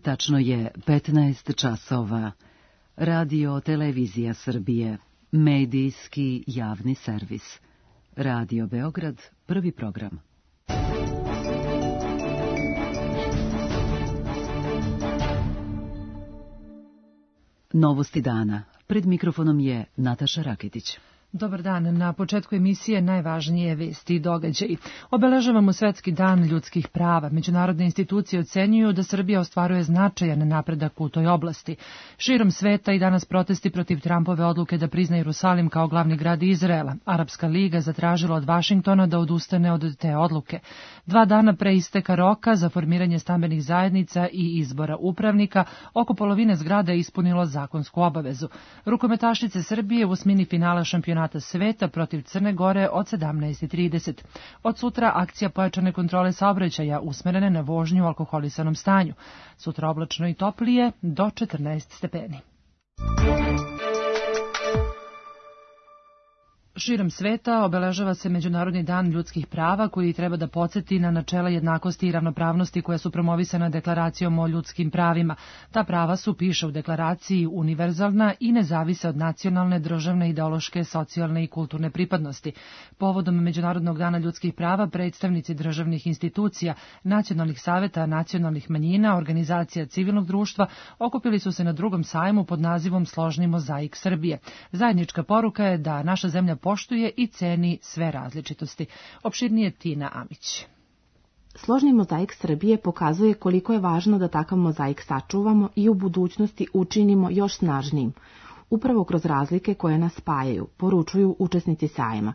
Tačno je 15 časova. Radio Televizija Srbije. Medijski javni servis. Radio Beograd, prvi program. Novosti dana. Pred mikrofonom je Nataša Raketić. Dobar dan. Na početku emisije najvažnije vesti i događaji. Obeležavamo Svetski dan ljudskih prava. Međunarodne institucije ocenjuju da Srbija ostvaruje značajan napredak u toj oblasti. Širom sveta i danas protesti protiv Trumpove odluke da prizna Jerusalim kao glavni grad Izraela. Arapska liga zatražila od Vašingtona da odustane od te odluke. 2 dana pre isteka roka za formiranje stambenih zajednica i izbora upravnika, oko polovine zgrada je ispunilo zakonsku obavezu. Rukometašice Srbije u osmini finala šampionata sveta protiv Crne Gore od 17:30. Od sutra akcija pojačane kontrole saobraćaja usmerene na vožnju u alkoholisanom stanju. Sutra oblačno i toplije do 14 stepeni. Širom sveta obeležava se Međunarodni dan ljudskih prava koji treba da podsjeti na načela jednakosti i ravnopravnosti koja su promovisana deklaracijom o ljudskim pravima. Ta prava su, piše u deklaraciji, univerzalna i ne zavise od nacionalne, državne, ideološke, socijalne i kulturne pripadnosti. Povodom Međunarodnog dana ljudskih prava predstavnici državnih institucija, nacionalnih saveta, nacionalnih manjina, organizacija civilnog društva okupili su se na drugom sajmu pod nazivom Složni mozaik Srbije. Zajednička poruka je da naša zemlja poštuje i ceni sve različitosti. Opširnije Tina Amić. Složni mozaik Srbije pokazuje koliko je važno da takav mozaik sačuvamo i u budućnosti učinimo još snažnijim, upravo kroz razlike koje nas spajaju, poručuju učesnici sajma.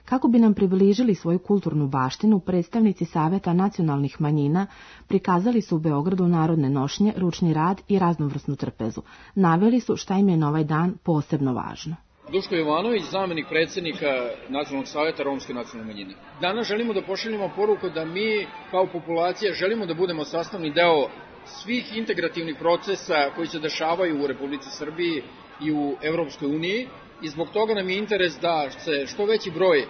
Kako bi nam približili svoju kulturnu baštinu, predstavnici Saveta nacionalnih manjina prikazali su u Beogradu narodne nošnje, ručni rad i raznovrsnu trpezu. Naveli su šta im je na ovaj dan posebno važno. Duško Jovanović, zamenik predsjednika Nacionalnog savjeta romske nacionalne manjine. Danas želimo da pošaljemo poruku da mi kao populacija želimo da budemo sastavni deo svih integrativnih procesa koji se dešavaju u Republici Srbiji i u Evropskoj uniji i zbog toga nam je interes da se što veći broj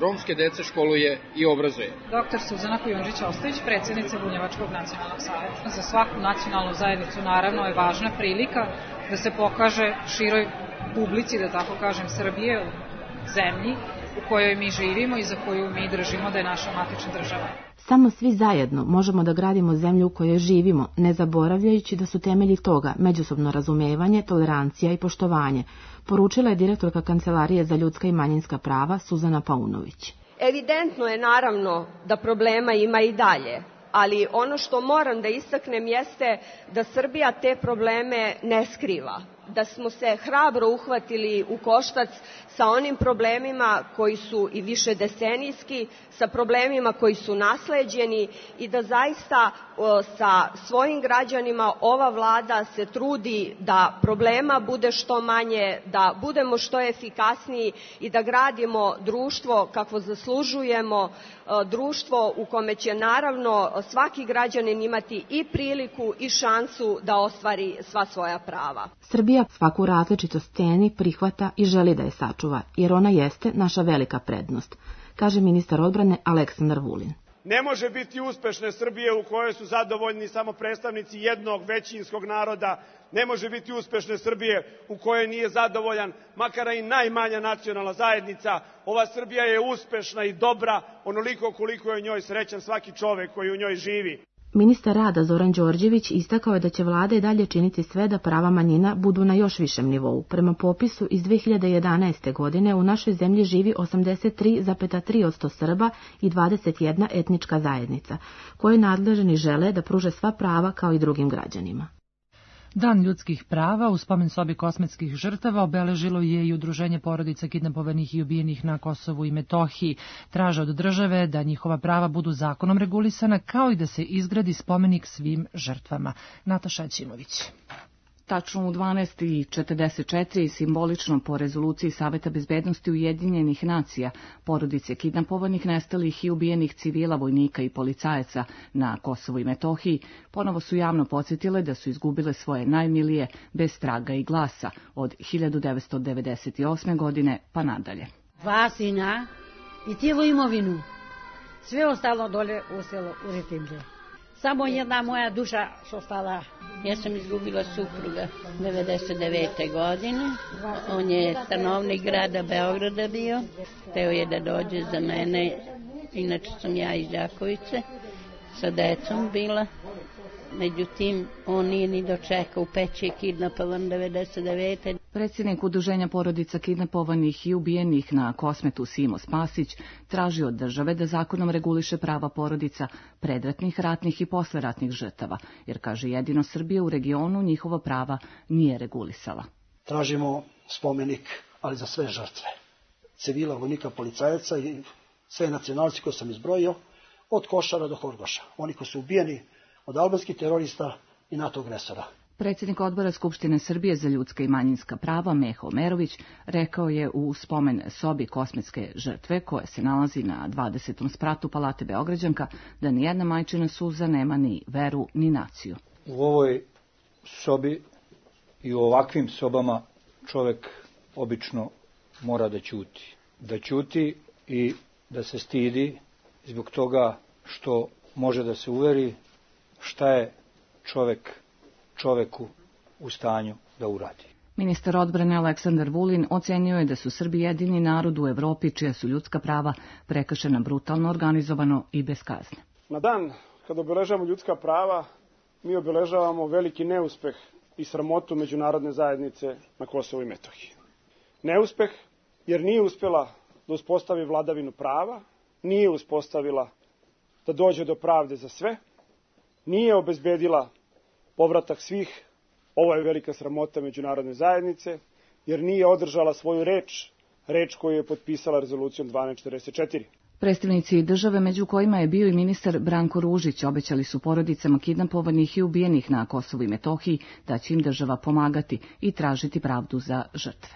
romske dece školuje i obrazuje. Dr. Suzana Kujundžić-Ostojić, predsjednica Bunjevačkog nacionalnog savjeta. Za svaku nacionalnu zajednicu naravno je važna prilika da se pokaže široj publici, da tako kažem, Srbije, u zemlji u kojoj mi živimo i za koju mi držimo da je naša matična država. Samo svi zajedno možemo da gradimo zemlju u kojoj živimo, ne zaboravljajući da su temelji toga međusobno razumevanje, tolerancija i poštovanje, poručila je direktorka Kancelarije za ljudska i manjinska prava Suzana Paunović. Evidentno je naravno da problema ima i dalje, ali ono što moram da istaknem jeste da Srbija te probleme ne skriva, da smo se hrabro uhvatili u koštac sa onim problemima koji su i više decenijski, sa problemima koji su nasleđeni i da zaista sa svojim građanima ova vlada se trudi da problema bude što manje, da budemo što efikasniji i da gradimo društvo kakvo zaslužujemo, društvo u kome će naravno svaki građanin imati i priliku i šansu da ostvari sva svoja prava. Srbija svaku različitost ceni, prihvata i želi da je sačuva, jer ona jeste naša velika prednost, kaže ministar odbrane Aleksandar Vulin. Ne može biti uspešne Srbije u kojoj su zadovoljni samo predstavnici jednog većinskog naroda, ne može biti uspešne Srbije u kojoj nije zadovoljan makar i najmanja nacionalna zajednica. Ova Srbija je uspešna i dobra onoliko koliko je u njoj srećan svaki čovek koji u njoj živi. Ministar rada Zoran Đorđević istakao je da će vlada i dalje činiti sve da prava manjina budu na još višem nivou. Prema popisu iz 2011. godine u našoj zemlji živi 83,3% Srba i 21 etnička zajednica, koje nadležni žele da pruže sva prava kao i drugim građanima. Dan ljudskih prava u spomen sobi kosmetskih žrtava obeležilo je i Udruženje porodica kidnapovanih i ubijenih na Kosovu i Metohiji. Traže od države da njihova prava budu zakonom regulisana, kao i da se izgradi spomenik svim žrtvama. Nataša Ćimović. Tačno u 12:44 simbolično po rezoluciji Saveta bezbednosti Ujedinjenih nacija, porodice kidnapovanih, nestalih i ubijenih civila, vojnika i policajaca na Kosovu i Metohiji ponovo su javno podsjetile da su izgubile svoje najmilije bez traga i glasa od 1998. godine pa nadalje. 2 sina i cijelu imovinu. Sve ostalo dole ostalo u Retimlje. Samo jedna moja duša što stala. Ja sam izgubila supruga 99. godine. On je stanovnik grada Beograda bio. Hteo je da dođe za mene. Inače sam ja iz Đakovice. Sa decom bila. Međutim, on nije ni dočekao, u peći je kidnapovan 99. Predsjednik Udruženja porodica kidnapovanih i ubijenih na Kosmetu Simo Spasić traži od države da zakonom reguliše prava porodica predratnih, ratnih i posleratnih žrtava, jer, kaže, jedino Srbija u regionu njihova prava nije regulisala. Tražimo spomenik, ali za sve žrtve. Civila, vojnika, policajaca i sve nacionalci koje sam izbrojio, od Košara do Horgoša. Oni koji su ubijeni od albanskih terorista i NATO agresora. Predsjednik odbora Skupštine Srbije za ljudska i manjinska prava Meho Omerović rekao je u spomen sobi kosmetske žrtve, koja se nalazi na 20. spratu Palate Beograđanka, da nijedna majčina suza nema ni veru ni naciju. U ovoj sobi i u ovakvim sobama čovek obično mora da ćuti. Da ćuti i da se stidi zbog toga što može da se uveri šta je čoveku u stanju da uradi. Ministar odbrane Aleksandar Vulin ocenio je da su Srbi jedini narod u Evropi čija su ljudska prava prekršena brutalno, organizovano i bez kazne. Na dan kada obeležavamo ljudska prava, mi obeležavamo veliki neuspeh i sramotu međunarodne zajednice na Kosovu i Metohiji. Neuspeh jer nije uspela da uspostavi vladavinu prava, nije uspostavila da dođe do pravde za sve, nije obezbedila povratak svih. Ovo je velika sramota međunarodne zajednice, jer nije održala svoju reč koju je potpisala rezolucijom 1244. Predstavnici države, među kojima je bio i ministar Branko Ružić, obećali su porodicama kidnapovanih i ubijenih na Kosovu i Metohiji da će im država pomagati i tražiti pravdu za žrtve.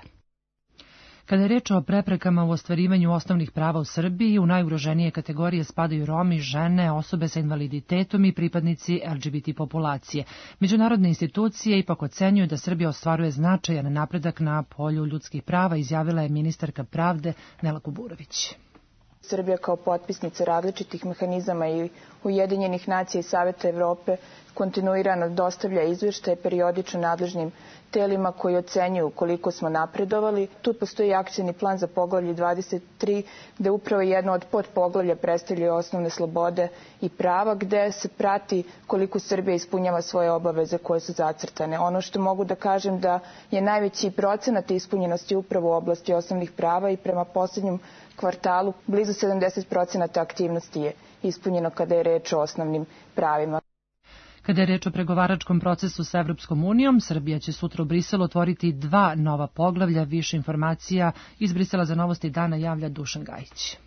Kada je reč o preprekama u ostvarivanju osnovnih prava u Srbiji, u najugroženije kategorije spadaju Romi, žene, osobe sa invaliditetom i pripadnici LGBT populacije. Međunarodne institucije ipak ocenjuju da Srbija ostvaruje značajan napredak na polju ljudskih prava, izjavila je ministarka pravde Nela Kuburović. Srbija kao potpisnica različitih mehanizama i Ujedinjenih nacija i Saveta Evrope kontinuirano dostavlja izveštaje periodično nadležnim telima koji ocenjuju koliko smo napredovali. Tu postoji akcioni plan za poglavlje 23, gde upravo jedno od podpoglavlja predstavljaju osnovne slobode i prava, gde se prati koliko Srbija ispunjava svoje obaveze koje su zacrtane. Ono što mogu da kažem da je najveći procenat ispunjenosti upravo u oblasti osnovnih prava i prema poslednjem kvartalu blizu 70% aktivnosti je ispunjeno kada je reč o osnovnim pravima. Kada je reč o pregovaračkom procesu sa Evropskom unijom, Srbija će sutra u Briselu otvoriti 2 nova poglavlja. Više informacija iz Brisela za Novosti dana javlja Dušan Gajić.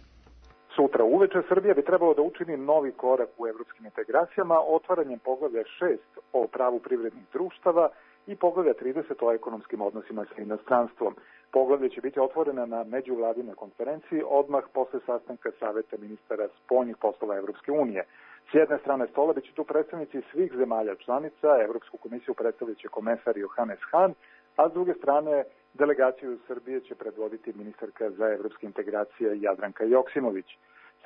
Sutra uveče Srbija bi trebalo da učini novi korak u evropskim integracijama otvaranjem poglavlja 6 o pravu privrednih društava i poglavlja 30 o ekonomskim odnosima sa inostranstvom. Poglavlje će biti otvorena na međuvladinoj konferenciji odmah posle sastanka Saveta ministara spoljnih poslova Evropske unije. S jedne strane stola biće tu predstavnici svih zemalja članica, Evropsku komisiju predstavljaće komesar Johannes Hahn, a s druge strane delegaciju Srbije će predvoditi ministarka za evropske integracije Jadranka Joksimović.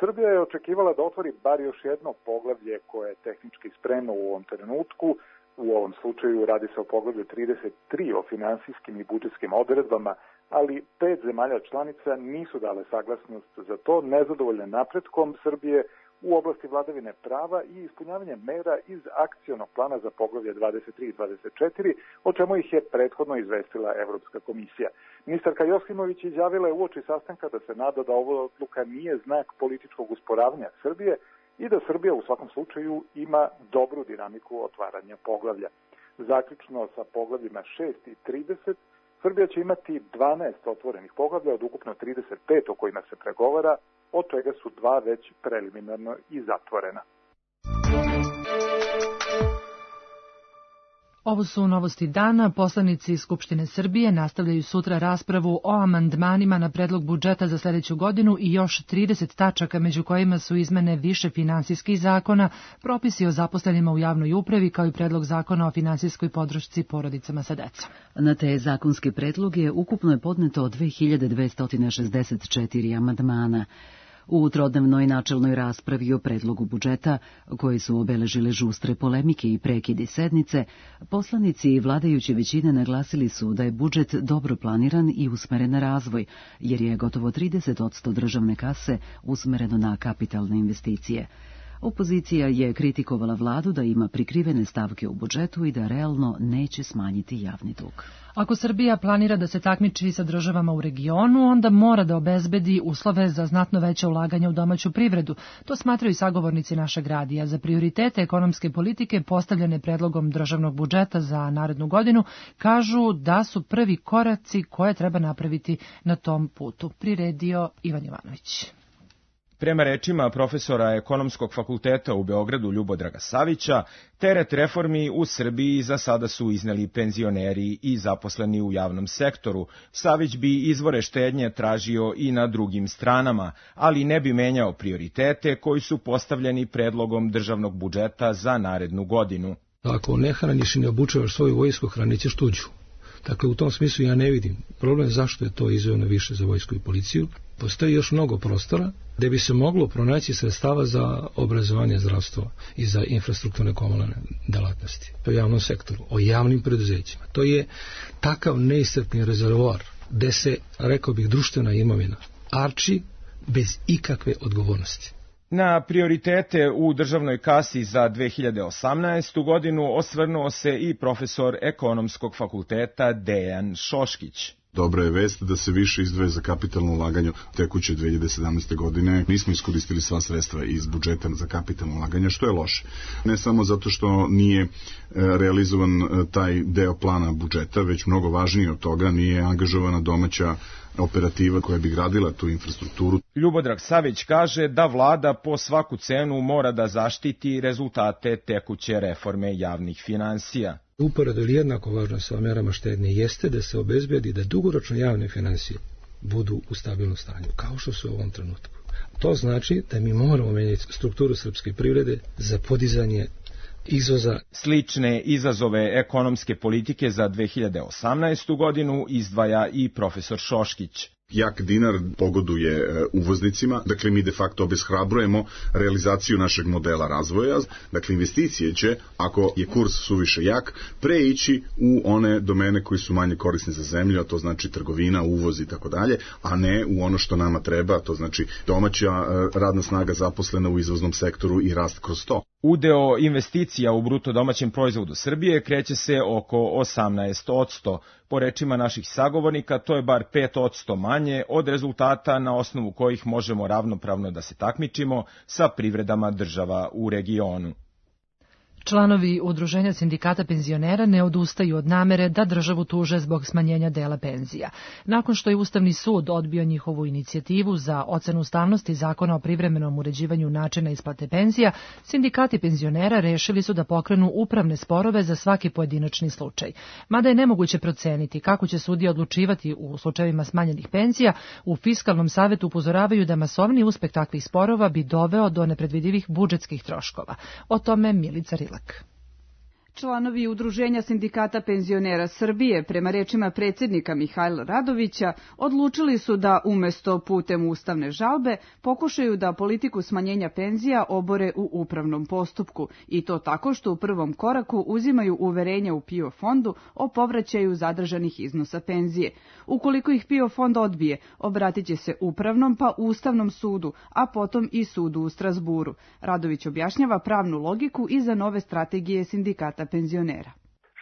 Srbija je očekivala da otvori bar još jedno poglavlje koje je tehnički spremno u ovom trenutku. U ovom slučaju radi se o poglavlju 33 o finansijskim i budžetskim odredbama, ali 5 zemalja članica nisu dale saglasnost za to, nezadovoljne napretkom Srbije u oblasti vladavine prava i ispunjavanje mera iz akcionog plana za poglavlje 23 i 24, o čemu ih je prethodno izvestila Evropska komisija. Ministarka Joksimović izjavila je uoči sastanka da se nada da ova odluka nije znak političkog usporavanja Srbije i da Srbija u svakom slučaju ima dobru dinamiku otvaranja poglavlja. Zaključno sa poglavljima 6 i 30, Srbija će imati 12 otvorenih poglavlja od ukupno 35 o kojima se pregovara, od čega su 2 već preliminarno i zatvorena. Ovo su novosti dana. Poslanici Skupštine Srbije nastavljaju sutra raspravu o amandmanima na predlog budžeta za sledeću godinu i još 30 tačaka, među kojima su izmene više finansijskih zakona, propisi o zaposlenima u javnoj upravi, kao i predlog zakona o finansijskoj podršci porodicama sa decom. Na te zakonske predloge ukupno je podneto 2264 amandmana. U trodnevnoj načelnoj raspravi o predlogu budžeta, koje su obeležile žustre polemike i prekidi sednice, poslanici vladajuće većine naglasili su da je budžet dobro planiran i usmeren na razvoj, jer je gotovo 30% državne kase usmereno na kapitalne investicije. Opozicija je kritikovala vladu da ima prikrivene stavke u budžetu i da realno neće smanjiti javni dug. Ako Srbija planira da se takmiči sa državama u regionu, onda mora da obezbedi uslove za znatno veće ulaganje u domaću privredu. To smatraju sagovornici našeg radija. Za prioritete ekonomske politike postavljene predlogom državnog budžeta za narednu godinu kažu da su prvi koraci koje treba napraviti na tom putu. Priredio Ivan Jovanović. Prema rečima profesora Ekonomskog fakulteta u Beogradu Ljubodraga Savića, teret reformi u Srbiji za sada su izneli penzioneri i zaposleni u javnom sektoru. Savić bi izvore štednje tražio i na drugim stranama, ali ne bi menjao prioritete koji su postavljeni predlogom državnog budžeta za narednu godinu. Ako ne hraniš i ne obučavaš svoju vojsku, hranit ćeš tuđu. Dakle, u tom smislu ja ne vidim problem zašto je to izdvojeno više za vojsku i policiju. Postoji još mnogo prostora gde bi se moglo pronaći sredstava za obrazovanje, zdravstvo i za infrastrukturne komunalne delatnosti. O javnom sektoru, o javnim preduzećima. To je takav neiscrpni rezervoar gde se, rekao bih, društvena imovina arči bez ikakve odgovornosti. Na prioritete u državnoj kasi za 2018. godinu osvrnuo se i profesor Ekonomskog fakulteta Dejan Šoškić. Dobra je vest da se više izdvaja za kapitalno ulaganje tekuće 2017. godine. Nismo iskoristili sva sredstva iz budžeta za kapitalno ulaganje, što je loše. Ne samo zato što nije realizovan taj deo plana budžeta, već mnogo važnije od toga nije angažovana domaća operativa koja bi gradila tu infrastrukturu. Ljubodrag Savić kaže da vlada po svaku cenu mora da zaštiti rezultate tekuće reforme javnih finansija. Uporedo ili jednako važno sa merama štednje jeste da se obezbedi da dugoročno javne finansije budu u stabilnom stanju, kao što su u ovom trenutku. To znači da mi moramo menjati strukturu srpske privrede za podizanje izvoza. Slične izazove ekonomske politike za 2018. godinu izdvaja i profesor Šoškić. Jak dinar pogoduje uvoznicima, dakle mi de facto obeshrabrujemo realizaciju našeg modela razvoja, dakle investicije će, ako je kurs suviše jak, preići u one domene koji su manje korisne za zemlju, a to znači trgovina, uvoz i tako dalje, a ne u ono što nama treba, to znači domaća radna snaga zaposlena u izvoznom sektoru i rast kroz to. Udeo investicija u bruto domaćem proizvodu Srbije kreće se oko 18%. Po rečima naših sagovornika, to je bar 5% manje od rezultata na osnovu kojih možemo ravnopravno da se takmičimo sa privredama država u regionu. Članovi Udruženja sindikata penzionera ne odustaju od namere da državu tuže zbog smanjenja dela penzija. Nakon što je Ustavni sud odbio njihovu inicijativu za ocenu ustavnosti Zakona o privremenom uređivanju načina isplate penzija, sindikati penzionera rešili su da pokrenu upravne sporove za svaki pojedinačni slučaj. Mada je nemoguće proceniti kako će sudija odlučivati u slučajevima smanjenih penzija, u Fiskalnom savetu upozoravaju da masovni uspeh takvih sporova bi doveo do nepredvidivih budžetskih troškova. O tome Milica Rilak. Članovi Udruženja sindikata penzionera Srbije, prema rečima predsjednika Mihajla Radovića, odlučili su da umesto putem ustavne žalbe pokušaju da politiku smanjenja penzija obore u upravnom postupku i to tako što u prvom koraku uzimaju uverenja u PIO fondu o povraćaju zadržanih iznosa penzije. Ukoliko ih PIO fond odbije, obratit će se upravnom pa Ustavnom sudu, a potom i sudu u Strazburu. Radović objašnjava pravnu logiku iza nove strategije sindikata penzionera.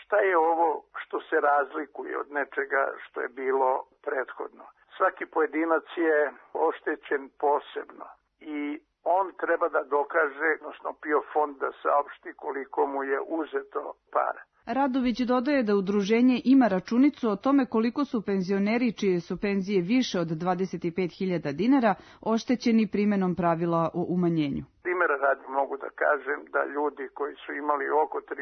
Šta je ovo što se razlikuje od nečega što je bilo prethodno? Svaki pojedinac je oštećen posebno i on treba da dokaže, odnosno PIO fond da saopšti koliko mu je uzeto para. Radović dodaje da udruženje ima računicu o tome koliko su penzioneri čije su penzije više od 25.000 dinara oštećeni primenom pravila o umanjenju. Primera radi mogu da kažem da ljudi koji su imali oko 35-6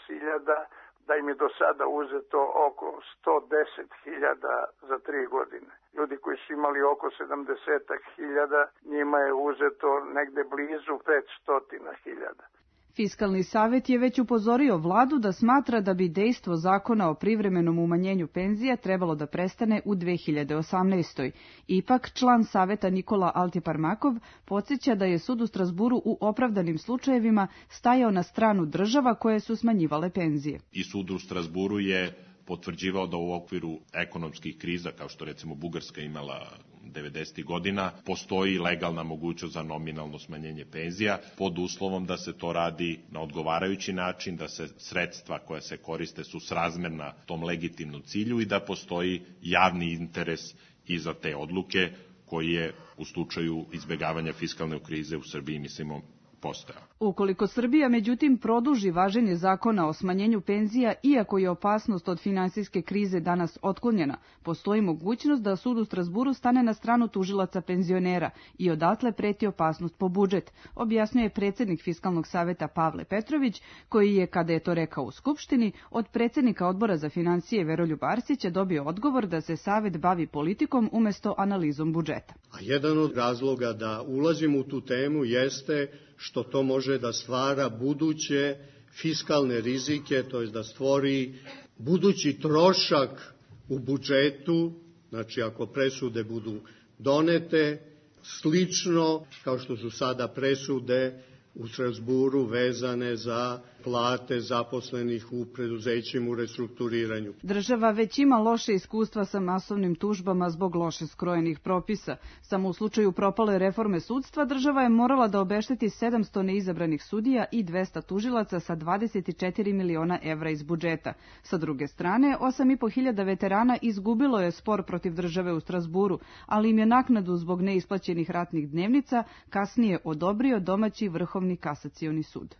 hiljada, da im je do sada uzeto oko 110.000 za 3 godine. Ljudi koji su imali oko 70.000, njima je uzeto negde blizu 500.000. Fiskalni savet je već upozorio vladu da smatra da bi dejstvo zakona o privremenom umanjenju penzija trebalo da prestane u 2018. Ipak, član saveta Nikola Altiparmakov podsjeća da je sud u Strasburu u opravdanim slučajevima stajao na stranu država koje su smanjivale penzije. I sud u Strasburu je potvrđivao da u okviru ekonomskih kriza, kao što recimo Bugarska imala 90. godina, postoji legalna mogućnost za nominalno smanjenje penzija pod uslovom da se to radi na odgovarajući način, da se sredstva koja se koriste su srazmerna tom legitimnom cilju i da postoji javni interes i za te odluke koji je u slučaju izbegavanja fiskalne krize u Srbiji, mislimo, postojao. Ukoliko Srbija, međutim, produži važenje zakona o smanjenju penzija, iako je opasnost od finansijske krize danas otklonjena, postoji mogućnost da sud u Strasburu stane na stranu tužilaca penzionera i odatle preti opasnost po budžet, objasnjuje predsjednik Fiskalnog saveta Pavle Petrović, koji je, kada je to rekao u Skupštini, od predsjednika Odbora za financije Veroljuba Arsića dobio odgovor da se savet bavi politikom umesto analizom budžeta. A jedan od razloga da ulazimo u tu temu jeste što to može da stvara buduće fiskalne rizike, to je da stvori budući trošak u budžetu, znači ako presude budu donete, slično kao što su sada presude u Strasburu vezane za plate zaposlenih u preduzećima u restrukturiranju. Država već ima loše iskustva sa masovnim tužbama zbog loše skrojenih propisa. Samo u slučaju propale reforme sudstva država je morala da obešteti 700 neizabranih sudija i 200 tužilaca sa 24 miliona evra iz budžeta. Sa druge strane, 8.500 veterana izgubilo je spor protiv države u Strasburu, ali im je naknadu zbog neisplaćenih ratnih dnevnica kasnije odobrio domaći Vrhovni kasacioni sud.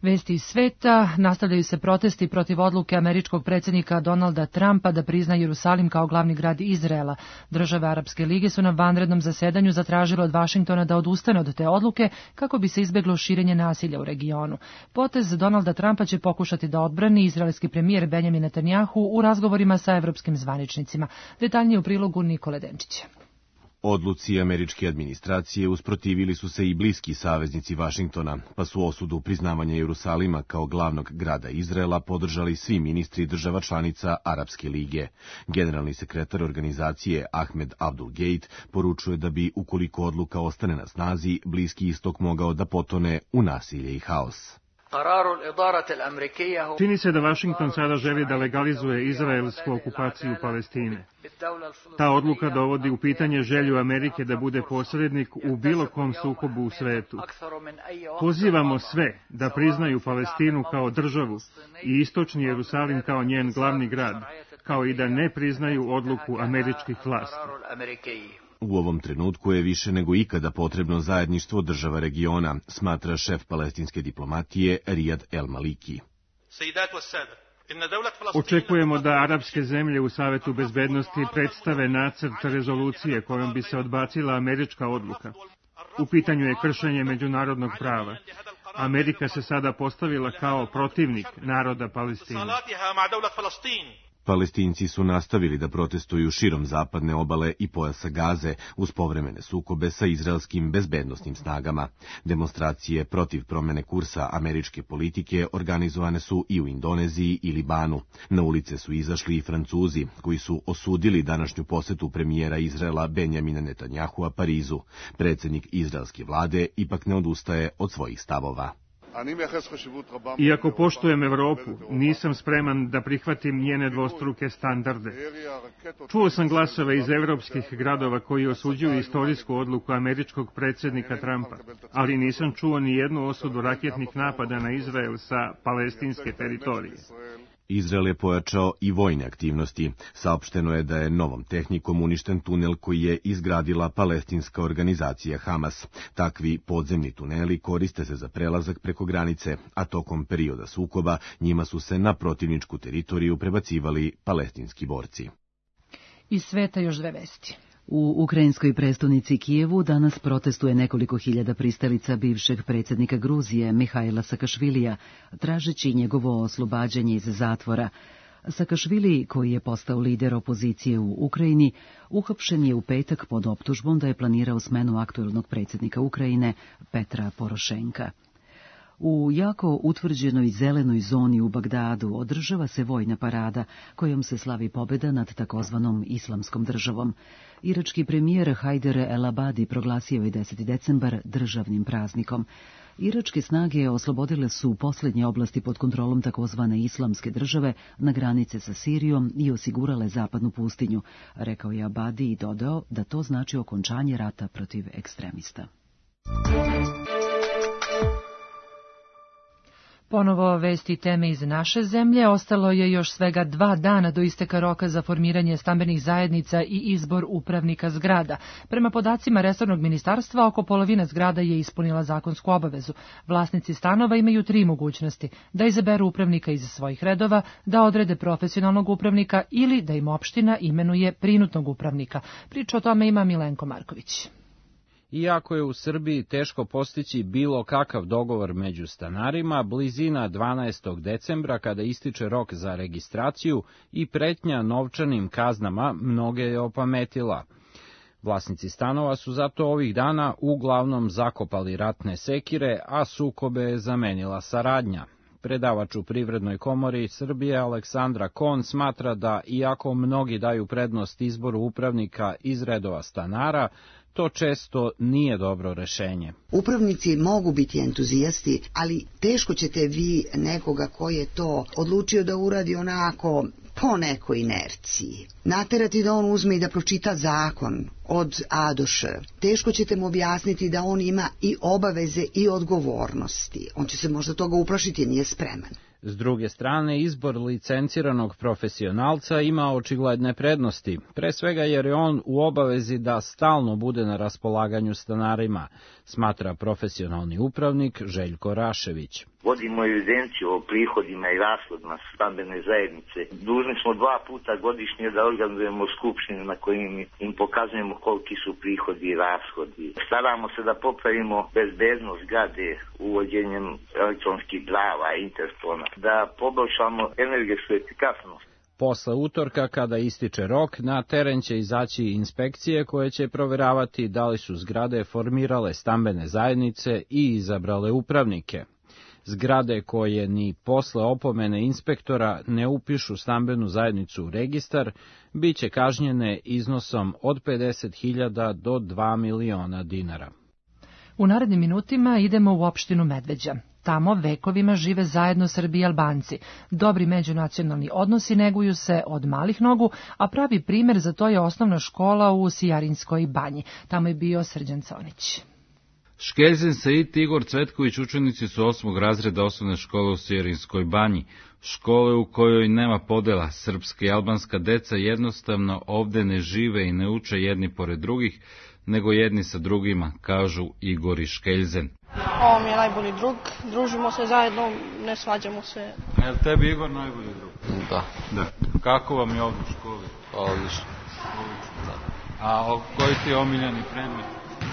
Vesti iz sveta, nastavljaju se protesti protiv odluke američkog predsjednika Donalda Trumpa da prizna Jerusalim kao glavni grad Izraela. Države Arapske lige su na vanrednom zasedanju zatražile od Vašingtona da odustane od te odluke kako bi se izbeglo širenje nasilja u regionu. Potez Donalda Trumpa će pokušati da odbrani izraelski premijer Benjamin Netanjahu u razgovorima sa evropskim zvaničnicima. Detaljnije u prilogu Nikole Denčića. Odluci američke administracije usprotivili su se i bliski saveznici Vašingtona, pa su osudu priznavanja Jerusalima kao glavnog grada Izraela podržali svi ministri država članica Arapske lige. Generalni sekretar organizacije Ahmed Abdul Gate poručuje da bi, ukoliko odluka ostane na snazi, Bliski istok mogao da potone u nasilje i haos. Čini se da Vašington sada želi da legalizuje izraelsku okupaciju Palestine. Ta odluka dovodi u pitanje želju Amerike da bude posrednik u bilo kom sukobu u svetu. Pozivamo sve da priznaju Palestinu kao državu i istočni Jerusalim kao njen glavni grad, kao i da ne priznaju odluku američkih vlasti. U ovom trenutku je više nego ikada potrebno zajedništvo država regiona, smatra šef palestinske diplomatije Rijad El Maliki. Očekujemo da arapske zemlje u Savetu bezbednosti predstave nacrt rezolucije kojom bi se odbacila američka odluka. U pitanju je kršenje međunarodnog prava. Amerika se sada postavila kao protivnik naroda Palestine. Palestinci su nastavili da protestuju širom zapadne obale i pojasa Gaze uz povremene sukobe sa izraelskim bezbednosnim snagama. Demonstracije protiv promene kursa američke politike organizovane su i u Indoneziji i Libanu. Na ulice su izašli i Francuzi, koji su osudili današnju posetu premijera Izraela Benjamina Netanjahua Parizu. Predsjednik izraelske vlade ipak ne odustaje od svojih stavova. Iako poštujem Evropu, nisam spreman da prihvatim njene dvostruke standarde. Čuo sam glasove iz evropskih gradova koji osuđuju istorijsku odluku američkog predsjednika Trumpa, ali nisam čuo ni jednu osudu raketnih napada na Izrael sa palestinske teritorije. Izrael je pojačao i vojne aktivnosti. Saopšteno je da je novom tehnikom uništen tunel koji je izgradila palestinska organizacija Hamas. Takvi podzemni tuneli koriste se za prelazak preko granice, a tokom perioda sukoba njima su se na protivničku teritoriju prebacivali palestinski borci. Iz sveta još dve vesti. U ukrajinskoj prestonici Kijevu danas protestuje nekoliko hiljada pristalica bivšeg predsjednika Gruzije Mihajla Sakašvilija, tražeći njegovo oslobađanje iz zatvora. Sakašvili, koji je postao lider opozicije u Ukrajini, uhapšen je u petak pod optužbom da je planirao smenu aktuelnog predsjednika Ukrajine Petra Porošenka. U jako utvrđenoj zelenoj zoni u Bagdadu održava se vojna parada kojom se slavi pobjeda nad takozvanom islamskom državom. Irački premijer Hajder el-Abadi proglasio je 10. decembar državnim praznikom. Iračke snage oslobodile su posljednje oblasti pod kontrolom takozvane islamske države na granice sa Sirijom i osigurale zapadnu pustinju, rekao je Abadi i dodao da to znači okončanje rata protiv ekstremista. Ponovo vesti teme iz naše zemlje. Ostalo je još svega 2 dana do isteka roka za formiranje stambenih zajednica i izbor upravnika zgrada. Prema podacima resornog ministarstva, oko polovina zgrada je ispunila zakonsku obavezu. Vlasnici stanova imaju 3 mogućnosti: da izaberu upravnika iz svojih redova, da odrede profesionalnog upravnika ili da im opština imenuje prinudnog upravnika. Priču o tome ima Milenko Marković. Iako je u Srbiji teško postići bilo kakav dogovor među stanarima, blizina 12. decembra, kada ističe rok za registraciju, i pretnja novčanim kaznama mnoge je opametila. Vlasnici stanova su zato ovih dana uglavnom zakopali ratne sekire, a sukobe je zamenila saradnja. Predavač u Privrednoj komori Srbije Aleksandra Kon smatra da, iako mnogi daju prednost izboru upravnika iz redova stanara, to često nije dobro rešenje. Upravnici mogu biti entuzijasti, ali teško ćete vi nekoga koji je to odlučio da uradi onako po nekoj inerciji naterati da on uzme i da pročita zakon od A do Š. Teško ćete mu objasniti da on ima i obaveze i odgovornosti. On će se možda toga uplašiti, nije spreman. S druge strane, izbor licenciranog profesionalca ima očigledne prednosti, pre svega jer je on u obavezi da stalno bude na raspolaganju stanarima, smatra profesionalni upravnik Željko Rašević. Vodimo evidenciju o prihodima i rashodima stambene zajednice. Dužni smo 2 puta godišnje da organizujemo skupštine na kojim im pokazujemo koliki su prihodi i rashodi. Staramo se da popravimo bezbednost zgrade uvođenjem elektronskih prava i interfona, da poboljšamo energetsku efikasnost. Posle utorka, kada ističe rok, na teren će izaći inspekcije koje će proveravati da li su zgrade formirale stambene zajednice i izabrale upravnike. Zgrade koje ni posle opomene inspektora ne upišu stambenu zajednicu u registar, bit će kažnjene iznosom od 50.000 do 2 miliona dinara. U narednim minutima idemo u opštinu Medveđa. Tamo vekovima žive zajedno Srbi i Albanci. Dobri međunacionalni odnosi neguju se od malih nogu, a pravi primer za to je osnovna škola u Sijarinskoj banji. Tamo je bio Srđan Conić. Škeljzen Said i Igor Cvetković učenici su 8. razreda osnovne škole u Sijarinskoj banji, škole u kojoj nema podela. Srpska i albanska deca jednostavno ovde ne žive i ne uče jedni pored drugih, nego jedni sa drugima, kažu Igor i Škeljzen. Ovo mi je najbolji drug, družimo se zajedno, ne svađamo se. Je li tebi Igor najbolji drug? Da. Kako vam je ovdje u školi? Odlično. Da. A koji ti je omiljeni predmet?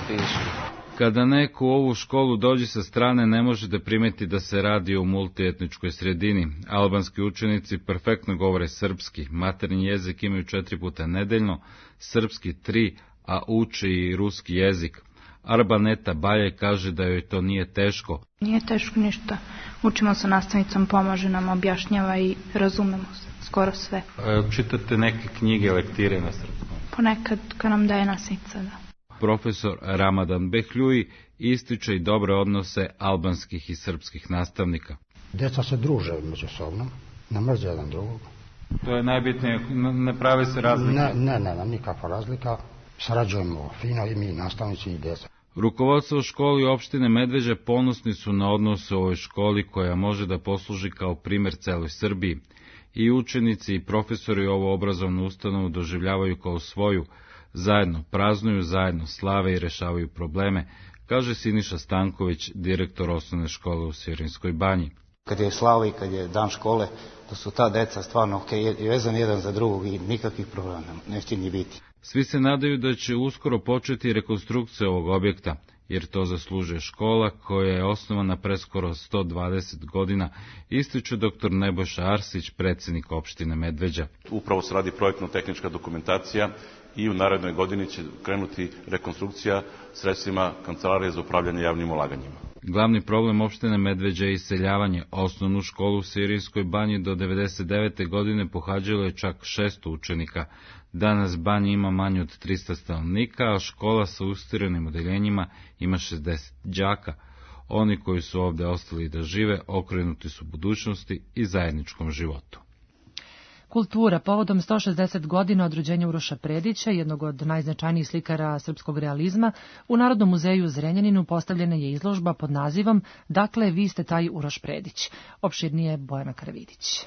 Fizički. Kada neko u ovu školu dođe sa strane, ne može da primeti da se radi o multietničkoj sredini. Albanski učenici perfektno govore srpski, maternji jezik imaju 4 puta nedeljno, srpski 3, a uče i ruski jezik. Arbaneta Balje kaže da joj to nije teško. Nije teško ništa. Učimo sa nastavnicom, pomaže nam, objašnjava i razumemo skoro sve. Čitate neke knjige, lektire na srpskom? Ponekad kad nam daje nastavnica, da. Profesor Ramadan Behljuji ističe i dobre odnose albanskih i srpskih nastavnika. Deca se druže međusobno, ne mrze jedan drugog. To je najbitnije, ne prave se razlike? Ne, nikakva razlika. Sarađujemo fino i mi, nastavnici i deca. Rukovodstvo školi opštine Medveđa ponosni su na odnose u ovoj školi koja može da posluži kao primer celoj Srbiji. I učenici i profesori ovu obrazovnu ustanovu doživljavaju kao svoju, zajedno praznuju, zajedno slave i rešavaju probleme, kaže Siniša Stanković, direktor osnovne škole u Sijarinskoj banji. Kad je slava i kad je dan škole, to su ta deca stvarno vezani jedan za drugog i nikakvih problema neće ni biti. Svi se nadaju da će uskoro početi rekonstrukcija ovog objekta. jer to zaslužuje škola koja je osnovana pre skoro 120 godina, ističe dr. Nebojša Arsić, predsjednik opštine Medveđa. Upravo se radi projektno-tehnička dokumentacija i u narednoj godini će krenuti rekonstrukcija sredstvima Kancelarije za upravljanje javnim ulaganjima. Glavni problem opštine Medveđa je iseljavanje. Osnovnu školu u Sirijskoj banji do 1999. godine pohađalo je čak 600 učenika. Danas banja ima manje od 300 stanovnika, a škola sa ustirenim odeljenjima ima 60 đaka. Oni koji su ovde ostali da žive okrenuti su budućnosti i zajedničkom životu. Kultura. Povodom 160 godina od rođenja Uroša Predića, jednog od najznačajnijih slikara srpskog realizma, u Narodnom muzeju u Zrenjaninu postavljena je izložba pod nazivom Dakle, vi ste taj Uroš Predić. Opširnije Bojana Karavidić.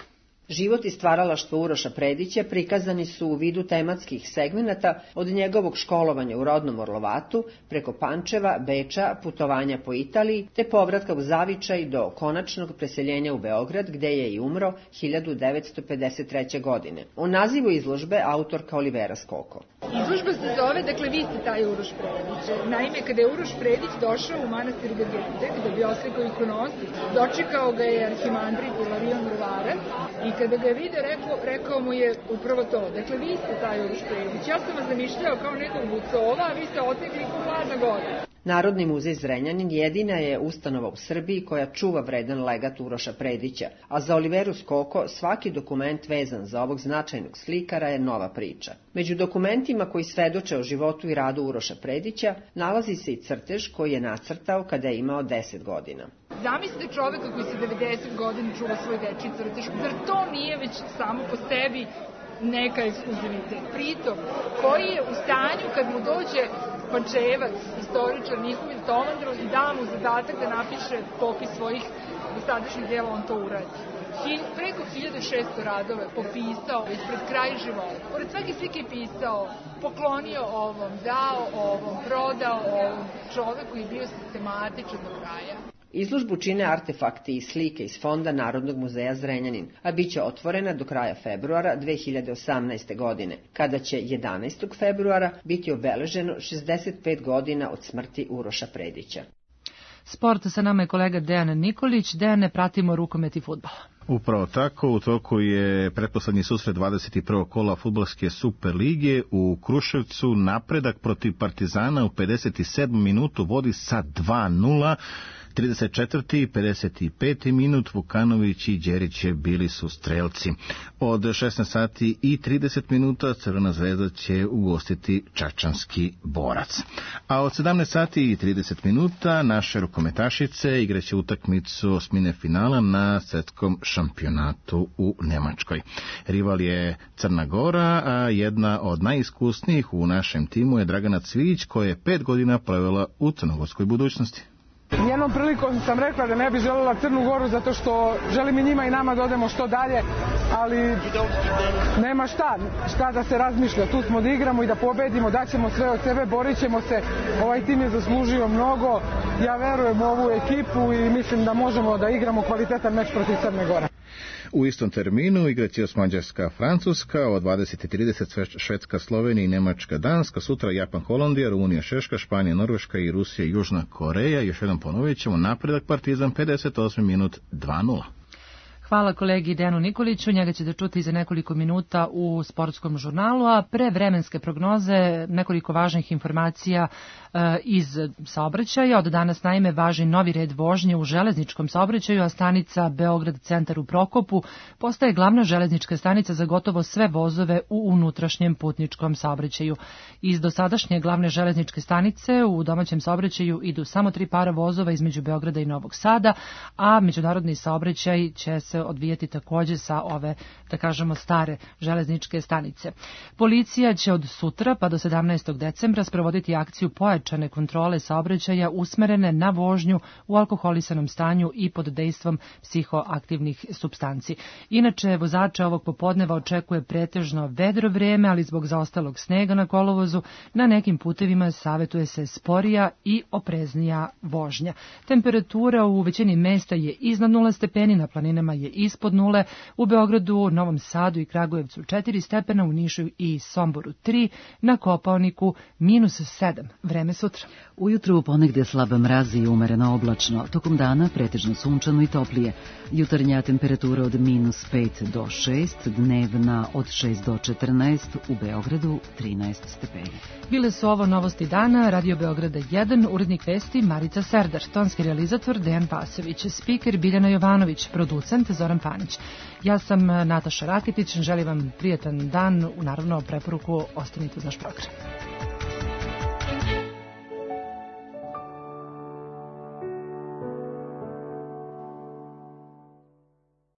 Život i stvaralaštvo Uroša Predića prikazani su u vidu tematskih segmenata od njegovog školovanja u rodnom Orlovatu, preko Pančeva, Beča, putovanja po Italiji, te povratka u Zavičaj do konačnog preseljenja u Beograd, gde je i umro 1953. godine. O nazivu izložbe autorka Olivera Skoko. Izložba se zove, dakle, vi ste taj Uroš Predić. Naime, kada je Uroš Predić došao u manastir Gagete, da bi oslikao ikonost, dočekao ga je arhimandrit Ilarion Ruvarac i kada ga je vidio, rekao mu je upravo to. Dakle, vi ste taj Uroš Predić. Ja sam vas zamišljao kao nekog bucova, a vi ste otekli ko hladna goda. Narodni muzej Zrenjanin jedina je ustanova u Srbiji koja čuva vredan legat Uroša Predića, a za Oliveru Skoko svaki dokument vezan za ovog značajnog slikara je nova priča. Među dokumentima koji svedoče o životu i radu Uroša Predića nalazi se i crtež koji je nacrtao kada je imao 10 godina. Zamislite čoveka koji se 90 godina čuva svoj dečji crtež. Zar to nije već samo po sebi neka ekskluzivitet? Pritom, koji je u stanju kad mu dođe Pančevac, istoričar Mihovil Tomandrov, i da mu zadatak da napiše popis svojih dosadašnjih dela, on to uradi. Preko 1600 radove popisao ispred kraja života. Pored svake slike je pisao, poklonio ovom, dao ovom, prodao ovom. Čovek koji je bio sistematičan do kraja. Izložbu čine artefakti i slike iz Fonda Narodnog muzeja Zrenjanin, a bit će otvorena do kraja februara 2018. godine, kada će 11. februara biti obeleženo 65 godina od smrti Uroša Predića. Sport, sa nama je kolega Dejan Nikolić. Dejane, pratimo rukomet i fudbal. Upravo tako, u toku je pretposlednji susret 21. kola fudbalske Super lige u Kruševcu. Napredak protiv Partizana u 57. minutu vodi sa 2:0. 34. i 55. minut Vukanović i Đerić bili su strelci. Od 16 sati i 30 minuta Crvena zvezda će ugostiti Čačanski Borac. A od 17 sati i 30 minuta naše rukometašice igraće utakmicu osmine finala na svetskom šampionatu u Nemačkoj. Rival je Crna Gora, a jedna od najiskusnijih u našem timu je Dragana Cvijić, koja je 5 godina provela u crnogorskoj budućnosti. Jednom prilikom sam rekla da ne bi želela Crnu Goru zato što želim i njima i nama da odemo što dalje, ali nema šta da se razmišlja. Tu smo da igramo i da pobedimo, daćemo sve od sebe, borit ćemo se. Ovaj tim je zaslužio mnogo, ja verujem u ovu ekipu i mislim da možemo da igramo kvalitetan meč protiv Crne Gore. U istom terminu igraće Mađarska Francuska, od 20:30 Švedska Slovenija i Nemačka Danska, sutra Japan Holandija, Rumunija Češka, Španija Norveška i Rusija Južna Koreja. Još jednom ponovit ćemo, napredak Partizan 58 minut 2:0. Hvala kolegi Dejanu Nikoliću, njega ćete čuti za nekoliko minuta u sportskom žurnalu, a pre vremenske prognoze nekoliko važnih informacija iz saobraćaja. Od danas naime važi novi red vožnje u železničkom saobraćaju, a stanica Beograd centar u Prokopu postaje glavna železnička stanica za gotovo sve vozove u unutrašnjem putničkom saobraćaju. Iz dosadašnje glavne železničke stanice u domaćem saobraćaju idu samo 3 para vozova između Beograda i Novog Sada, a međunarodni saobraćaj će se odvijati takođe sa ove, da kažemo, stare železničke stanice. Policija će od sutra pa do 17. decembra sprovoditi akciju pojačane kontrole saobraćaja usmerene na vožnju u alkoholisanom stanju i pod dejstvom psihoaktivnih supstanci. Inače, vozače ovog popodneva očekuje pretežno vedro vreme, ali zbog zaostalog snega na kolovozu na nekim putevima savetuje se sporija i opreznija vožnja. Temperatura u većini mesta je iznad 0 stepeni, na planinama je ispod nule, u Beogradu, Novom Sadu i Kragujevcu 4 stepena, u Nišu i Somboru 3, na Kopaoniku -7. Vreme sutra. Ujutru ponegde slab mraz i umereno oblačno, tokom dana pretežno sunčano i toplije. Jutarnja temperatura od -5 do 6, dnevna od 6 do 14, u Beogradu 13 stepeni. Bile su ovo novosti dana, Radio Beograda 1, urednik vesti Marica Serdar, tonski realizator Dejan Pasović, spiker Biljana Jovanović, producent Zoran Panić. Ja sam Nataša Raketić, želim vam prijatan dan, naravno preporuku ostanite uz naš program.